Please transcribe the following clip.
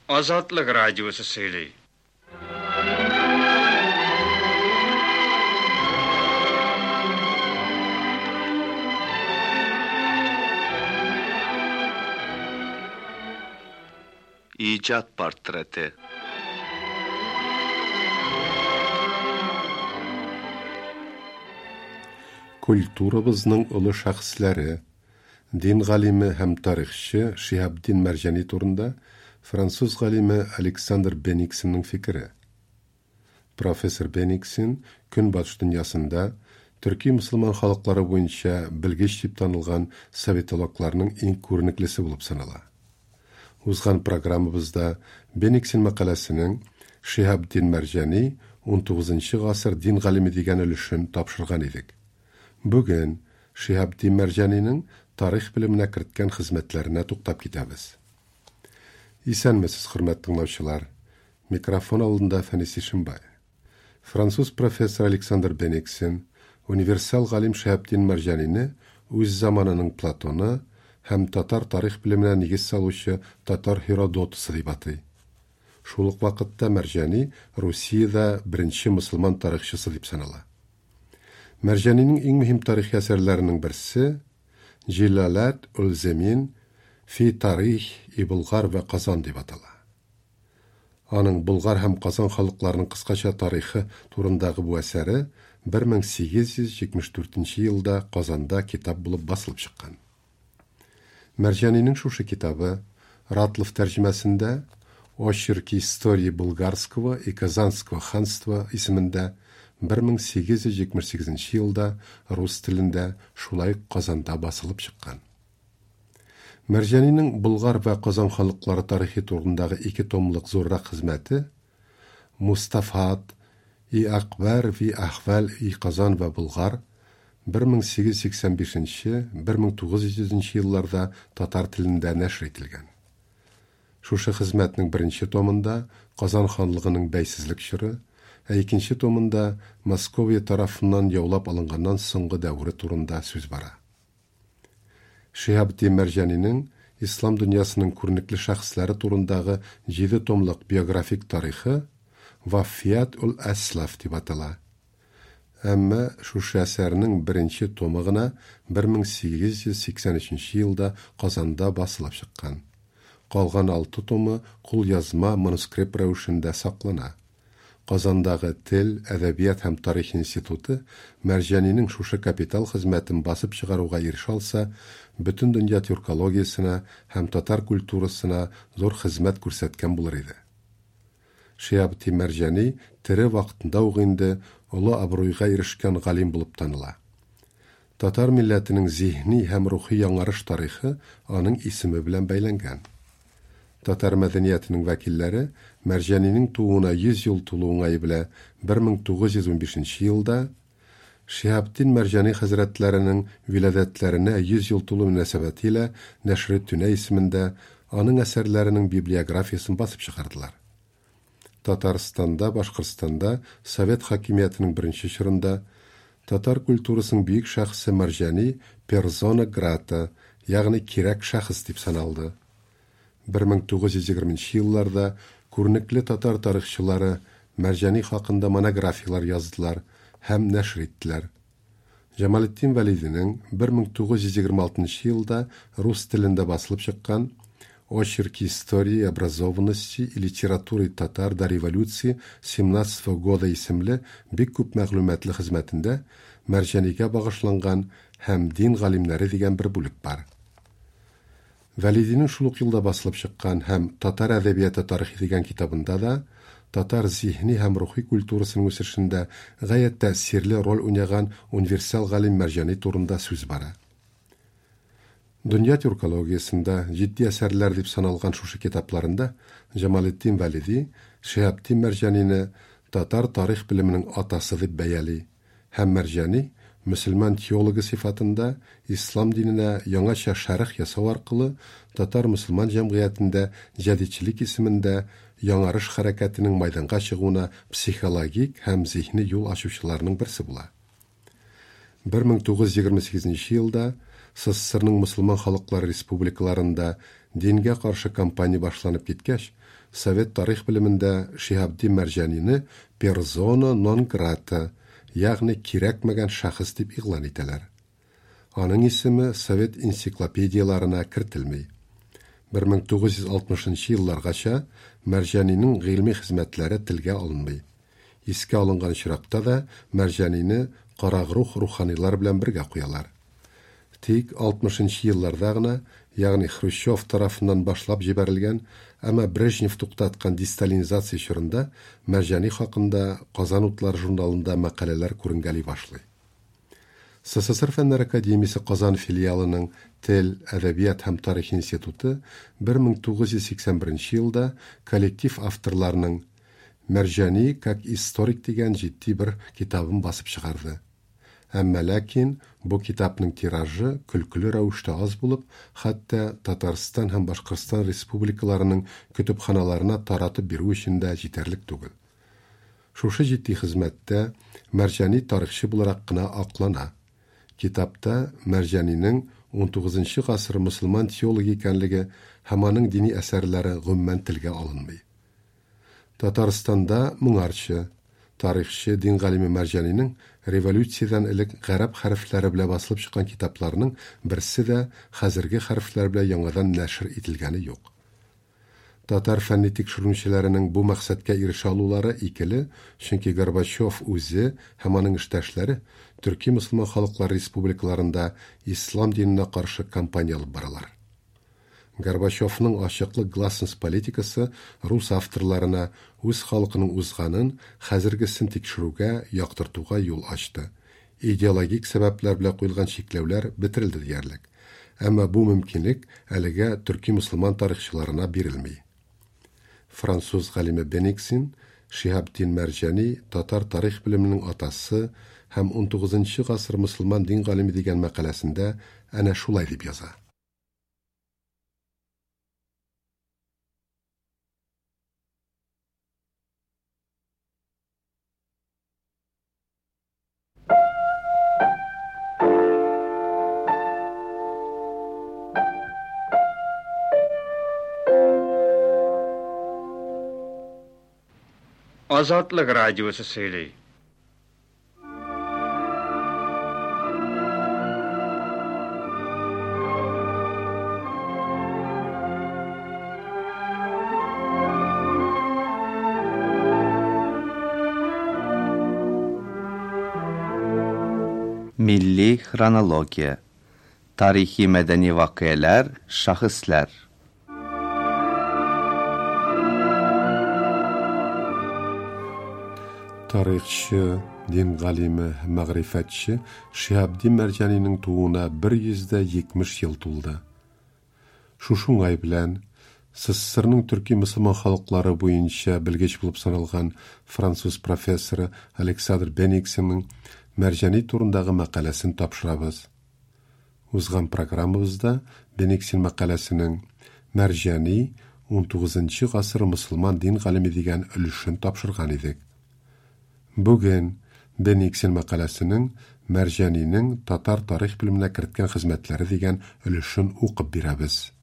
Азатлык радиосы сөйли. İcat portreti. Культурабызның олы шәхесләре, дин галиме һәм тарихчы Шиһабдин Мәрҗани турында француз галиме Александр Бениксенның фикере. Профессор Бениксен Көнбатыш дөньясында төрки мөселман халыклары буенча белгеч дип танылган советологларның иң күренеклесе булып санала. Узган программабызда Бениксен мәкаләсенең Шиһабдин Мәрҗани 19 гасыр дин галиме дигән өлешен тапшырган идек. Бүген Шиһабдин Мәрҗанинең тарих белеменә керткән хезмәтләренә туктап китәбез. Исәнмесез, хөрмәтле тыңлаучылар. Микрофон алдында Фәнис Ишембай. Француз профессор Александр Бениксен универсал галим Шиһабдин Мәрҗанине үз заманының Платоны һәм татар тарих белеменә нигез салучы татар Һеродотысы дип атый. Шул ук вакытта Мәрҗани Русиядә беренче мөселман тарихчысы дип санала. Мәрҗанинең иң мөһим тарихи әсәрләренең берсе Җилаләт ул-Земин фи тарих и Болгар вә Казан дип атала. Аның Болгар һәм Казан халыкларының кыскача тарихы турындагы бу әсәре 1874 елда Казанда китап булып басылып чыккан. Мәрҗанинең шушы китабы Ратлов тәрҗемәсендә Очерки истории Булгарского и Казанского ханства исемендә 1878 елда рус телендә шулай ук Казанда басылып чыккан. Мәрҗанинең Болгар вә Казан халыклары тарихы турындагы ике томлык зуррак хезмәте Мустафат и Акбар ви Ахвал и Казан вә Болгар 1885-1900 елларда татар телендә нәшер ителгән. Шушы хезмәтнең беренче томында Казан ханлыгының бәйсезлек чоры, ә икенче томында Московия тарафыннан яулап алынганнан соңгы дәвере турында сүз бара. Шиһабетдин Мәрҗанинең ислам дөньясының күренекле шәхесләре турындагы 7 томлык биографик тарихы Вафият ул Әслаф дип атала. Әмма шушы әсәрнең беренче томы гына 1883 елда Казанда басылып чыккан. Калган 6 томы кулъязма манускрипт рәвешендә саклана. Казандагы Тел, әдәбият һәм тарих институты Мәрҗанинең шушы капитал хезмәтен басып чыгаруга ирешә алса, бөтен дөнья тюркологиясенә һәм татар культурасына зур хезмәт күрсәткән булыр иде. Шиһабетдин Мәрҗани тере вакытында ук инде олы абруйга ирешкән галим булып таныла. Татар милләтенең зиһни һәм рухи яңарыш тарихы аның исеме белән бәйләнгән. Татар мәдәниятенең вәкилләре Мәрҗанинең тууына 100 ел тулу уңае белән 1915 елда Шиһабетдин Мәрҗани хәзрәтләренең виладәтләренә 100 ел тулу мөнәсәбәте илә Нәшре Түнә исемендә аның әсәрләренең библиографиясен басып чыгардылар. Татарстанда, Башкортстанда Совет хакимиятенең беренче чорында татар культурасының бөек шәхесе Мәрҗани персона грата, ягъни кирәк шәхес дип саналды. 1920 елларда күренекле татар тарихчылары Мәрҗани хакында монографияләр яздылар һәм нәшер иттеләр. Җамалетдин Вәлидинең 1926 елда рус телендә басылып чыккан Очерки истории образованности и литературы татар до революции 17 года исемле бик күп мәгълүматлы хезмәтендә Мәрҗанигә багышланган һәм дин галимнәре дигән бер бүлек бар. Вәлидинең шул ук елда басылып чыккан һәм Татар әдәбияты тарихы дигән китабында да татар зиһни һәм рухи культурасының үсешендә гаять тәэсирле роль уйнаган универсал галим Мәрҗани турында сүз бара. Дөнья тюркологиясендә җитди әсәрләр дип саналган шушы китапларында Җамалетдин Вәлиди Шиһабетдин Мәрҗанине татар тарих белеменең атасы дип бәяли һәм Мәрҗани мөселман теологы сыйфатында ислам диненә яңача шәрх ясау аркылы татар мөселман җәмгыятендә җәдидчелек исемендә яңарыш хәрәкәтенең майданга чыгуына психологик һәм зиһни юл ачучыларның берсе була. 1928 елда СССРның мөселман халыклары республикаларында дингә каршы кампания башланып киткәч, совет тарих белемендә Шиһабетдин Мәрҗанине персона нон грата, ягъни кирәкмәгән шәхес дип игълан итәләр. Аның исеме совет энциклопедияләренә кертелми. 1960 елларгача Мәрҗанинең гыйльми хезмәтләре телгә алынмый. Искә алынган очракта да Мәрҗанине карагрух руханилар белән бергә куялар. Тик 60 елларда гына, ягъни Хрущев тарафыннан башлап җибәрелгән, әмма Брежнев туктаткан десталинизация чорында Мәрҗани хакында Казан утлары журналында мәкаләләр күренгәли башлый. СССР Фәннәр академиясе Казан филиалының Тел, әдәбият һәм тарих институты 1981 елда коллектив авторларның Мәрҗани как историк дигән җитди бер китабын басып чыгарды. Әмма ләкин бу китапның тиражы көлкеле рәвештә аз булып, хәтта Татарстан һәм Башкортстан республикаларының көтепханаларына таратып бирү өчен дә җитәрлек түгел. Шушы җитди хезмәттә Мәрҗани тарихчы буларак кына аклана. Китапта Мәрҗанинең 19 гасыр мөселман теологы икәнлеге һәм аның дини әсәрләре гомумән телгә алынмый. Татарстанда моңарчы тарихчы дин галиме Мәрҗанинең революциядән элек гарәп хәрефләре белән басылып чыккан китапларының берсе дә хәзерге хәрефләр белән яңадан нәшер ителгәне юк. Татар фәнни тикшеренүчеләренең бу максатка ирешә алулары икеле, чөнки Горбачев үзе һәм аның эштәшләре төрки мөселман халыклар республикаларында ислам диненә каршы кампания алып баралар. Горбачевның ачыклык гласность политикасы рус авторларына үз халкының узганын, хәзергесен тикшерүгә, яктыртуга юл ачты. Идеологик сәбәпләр белән куелган чикләүләр бетерелде диярлек. Әмма бу мөмкинлек әлегә төрки мөселман тарихчыларына бирелми. Француз галиме Бениксин Шиһабетдин Мәрҗани татар тарих белеменең атасы һәм 19 гасыр мөселман дин галиме дигән мәкаләсендә әнә шулай дип яза. Азатлык радиосы сөйли. Milli xronologiya. Tarixi mədəni vaqiələr, şəxslər. Тарихчы, дин галиме һәм мәгърифәтче Шиһабетдин Мәрҗанинең тууына 170 ел тулды. Шушы уңай белән СССРның төрки мөселман халыклары буенча белгеч булып саналган француз профессоры Александр Бениксенның Мәрҗани турындагы мәкаләсен тапшырабыз. Узган программабызда Бениксен мәкаләсенең Мәрҗани 19 гасыр мөселман дин галиме дигән өлешен тапшырган идек. Бүген Бениксен мәкаләсенең Мәрҗанинең татар тарих белеменә керткән хезмәтләре дигән өлешен укып бирәбез.